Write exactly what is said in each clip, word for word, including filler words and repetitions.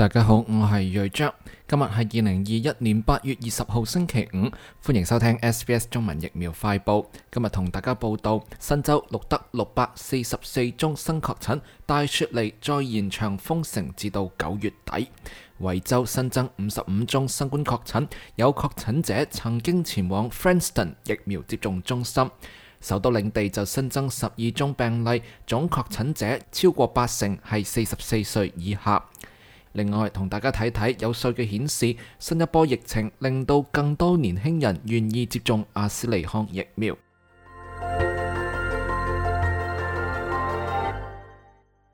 大家好，我係瑞章，今日係二零二一年八月二十號星期五，歡迎收聽 S B S 中文疫苗快報。今日同大家報道，新州錄得六百四十四宗新確診，大雪梨再延長封城至到九月底。維州新增五十五宗新冠確診，有確診者曾經前往 Frankston 疫苗接種中心。首都領地就新增十二宗病例，總確診者超過八成係四十四歲以下。另外，同大家睇睇有數據顯示，新一波疫情令到更多年輕人願意接種阿斯利康疫苗。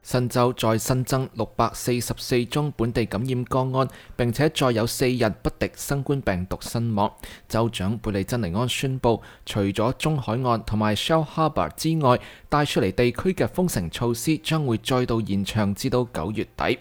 新州再新增六百四十四宗本地感染個案，並且再有四人不敵新冠病毒身亡。州長貝利珍尼安宣布，除咗中海岸同埋 Shell Harbour 之外，帶出嚟地區嘅封城措施將會再度延長至到九月底。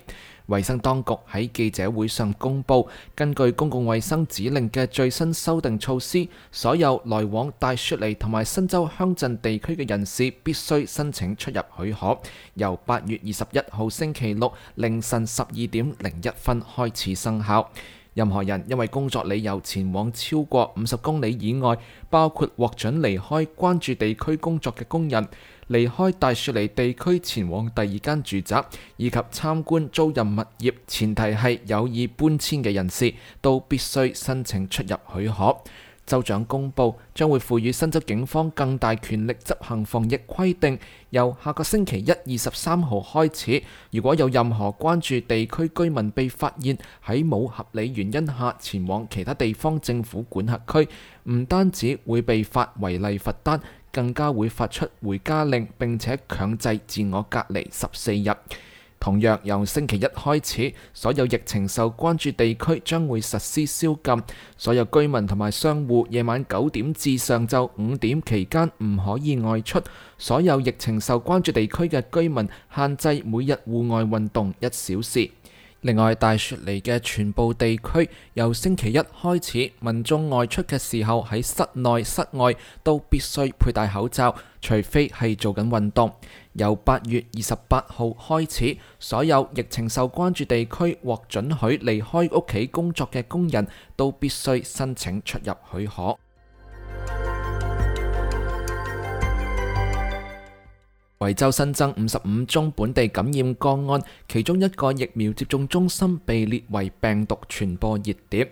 衛生當局喺記者會上公布，根據公共衛生指令嘅最新修訂措施，所有來往大雪梨同埋新州鄉鎮地區嘅人士必須申請出入許可，由八月二十一號星期六凌晨十二點零一分開始生效。任何人因為工作理由前往超過五十公里以外，包括獲准離開關注地區工作嘅工人、離開大雪梨地區前往第二間住宅，以及參觀租賃物業，前提係有意搬遷嘅人士，都必須申請出入許可。州長公布將會賦予新州警方更大權力執行防疫規定，由下個星期一二十三號開始，如果有任何關注地區居民被發現喺冇合理原因下前往其他地方政府管轄區，唔單止會被發違例罰單，更加會發出回家令，並且強制自我隔離十四日。同樣由星期一開始，所有疫情受關注地區將會實施宵禁，所有居民同埋商戶夜晚九點至上晝五點期間唔可以外出。所有疫情受關注地區嘅居民限制每日戶外運動一小時。另外，大雪梨嘅全部地區由星期一開始，民眾外出嘅時候喺室內、室外都必須佩戴口罩，除非係做緊運動。由八月二十八號開始，所有疫情受關注地區獲准許離開屋企工作嘅工人都必須申請出入許可。維州新增五十五宗本地感染個案，其中一個疫苗接種中心被列為病毒傳播熱點。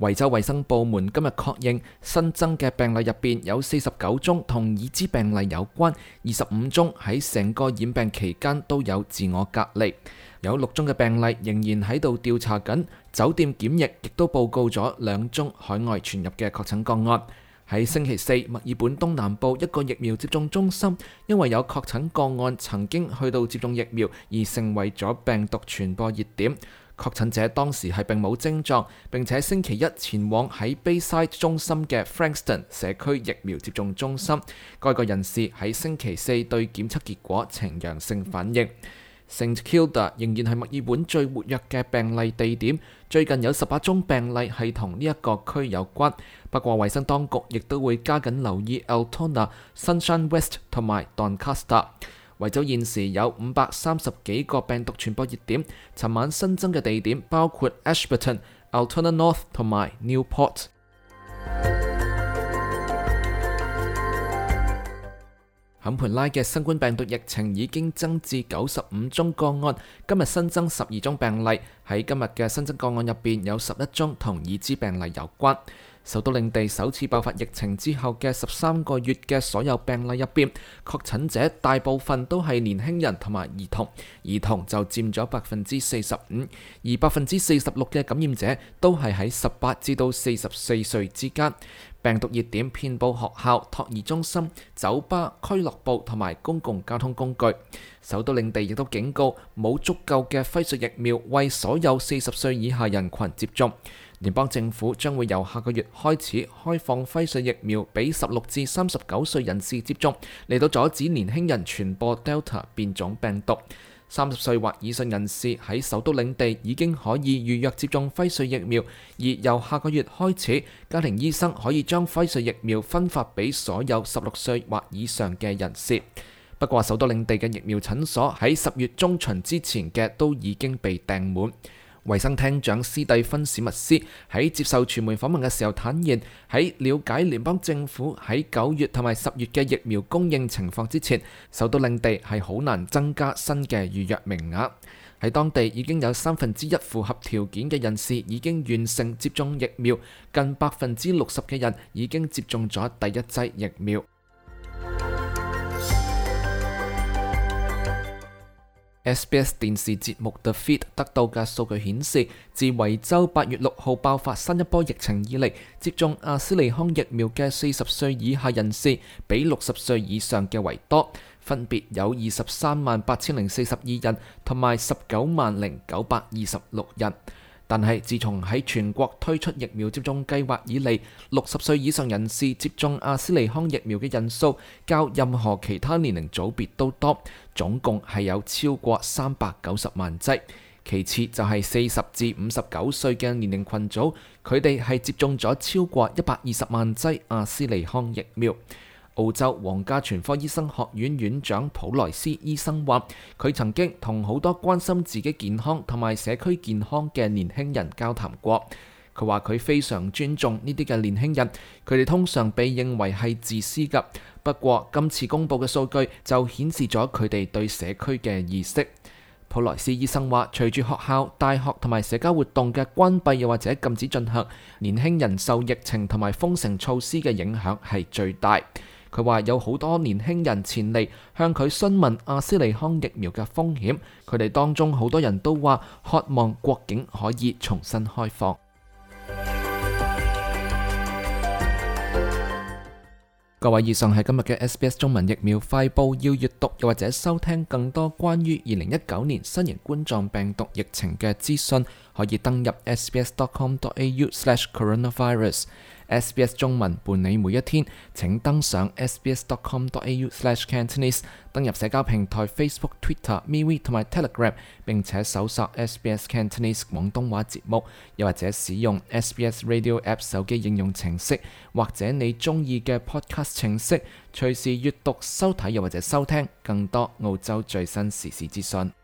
維州衛生部門今日確認，新增嘅病例入邊有四十九宗同已知病例有關，二十五宗喺成個染病期間都有自我隔離，有六宗嘅病例仍然喺度調查緊。酒店檢疫亦都報告咗兩宗海外傳入嘅確診個案。喺星期四，墨爾本東南部一個疫苗接種中心，因為有確診個案曾經去到接種疫苗，而成為咗病毒傳播熱點。確診者當時係並冇症狀，並且星期一前往喺 Bayside 中心嘅 Frankston 社區疫苗接種中心。該個人士喺星期四對檢測結果呈陽性反應。Saint Kilda 仍然係墨爾本最活躍嘅病例地點，最近有十八宗病例係同呢一個區有關。不過衛生當局亦都會加緊留意 Altona、Sunshine West 同埋 Doncaster。維州現時有五百三十幾個病毒傳播熱點，尋晚新增嘅地點包括 Ashburton、Altona North 同埋 Newport。坎培拉嘅新冠病毒疫情已經增至九十五宗個案，今日新增十二宗病例。喺今日嘅新增個案入邊，有十一宗同已知病例有關。首都領地首次爆發疫情之後嘅十三個月嘅所有病例入邊，確診者大部分都係年輕人同埋兒童，兒童就佔咗百分之四十五，而百分之四十六嘅感染者都係喺十八至到四十四歲之間。病毒熱點遍佈學校、托兒中心、酒吧、俱樂部同埋公共交通工具。首都領地亦都警告冇足夠嘅輝瑞疫苗為所有四十歲以下人群接種。聯邦政府將會由下個月開始開放輝瑞疫苗俾十六至三十九歲人士接種，嚟到阻止年輕人傳播 Delta 變種病毒。三十歲或以上人士喺首都領地已經可以預約接種輝瑞疫苗，而由下個月開始，家庭醫生可以將輝瑞疫苗分發俾所有十六歲或以上嘅人士。不過，首都領地嘅疫苗診所喺十月中旬之前嘅都已經被訂滿。衛生廳長斯蒂芬史密斯喺接受傳媒訪問嘅時候坦言，喺了解聯邦政府喺九月同埋十月嘅疫苗供應情況之前，首都領地係好難增加新嘅預約名額。喺當地已經有三分之一符合條件嘅人士已經完成接種疫苗，近百分之六十嘅人已經接種咗第一劑疫苗。S B S 電視節目 The Feed 得到嘅數據顯示，自維州八月六號爆發新一波疫情以嚟，接種阿斯利康疫苗嘅四十歲以下人士比六十歲以上嘅為多，分別有二十三萬八千零四十二人同埋十九萬零九百二十六人。但係自從喺全國推出疫苗接種計劃以嚟，六十歲以上人士接種阿斯利康疫苗嘅人數較任何其他年齡組別都多，總共係有超過三百九十萬劑。其次就係四十至五十九歲嘅年齡群組，佢哋係接種咗超過一百二十萬劑阿斯利康疫苗。澳洲皇家全科醫生學院院長普萊斯醫生話，佢曾經同好多關心自己健康同埋社區健康嘅年輕人交談過。佢話佢非常尊重呢啲嘅年輕人，佢哋通常被認為係自私㗎。不過今次公布嘅數據就顯示咗佢哋對社區嘅意識。普萊斯醫生話，隨住學校、大學同埋社交活動嘅關閉又或者禁止進行，年輕人受疫情同埋封城措施嘅影響係最大。佢話有好多年輕人前嚟向佢詢問阿斯利康疫苗嘅風險，佢哋當中好多人都話渴望國境可以重新開放。各位，以上係今日嘅 S B S 中文疫苗快報，要閱讀又或者收聽更多關於二零一九年新型冠狀病毒疫情嘅資訊，可以登入 s b s dot com dot a u slash coronavirus。S B S 中文伴你每一天，請登上 s b s dot com dot a u slash cantonese， 登入社交平台 Facebook、Twitter、MeWe 同埋 Telegram， 並且搜索 S B S Cantonese 廣東話節目，又或者使用 S B S Radio App 手機應用程式，或者你中意嘅 Podcast 程式，隨時閱讀、收睇又或者收聽更多澳洲最新時事資訊。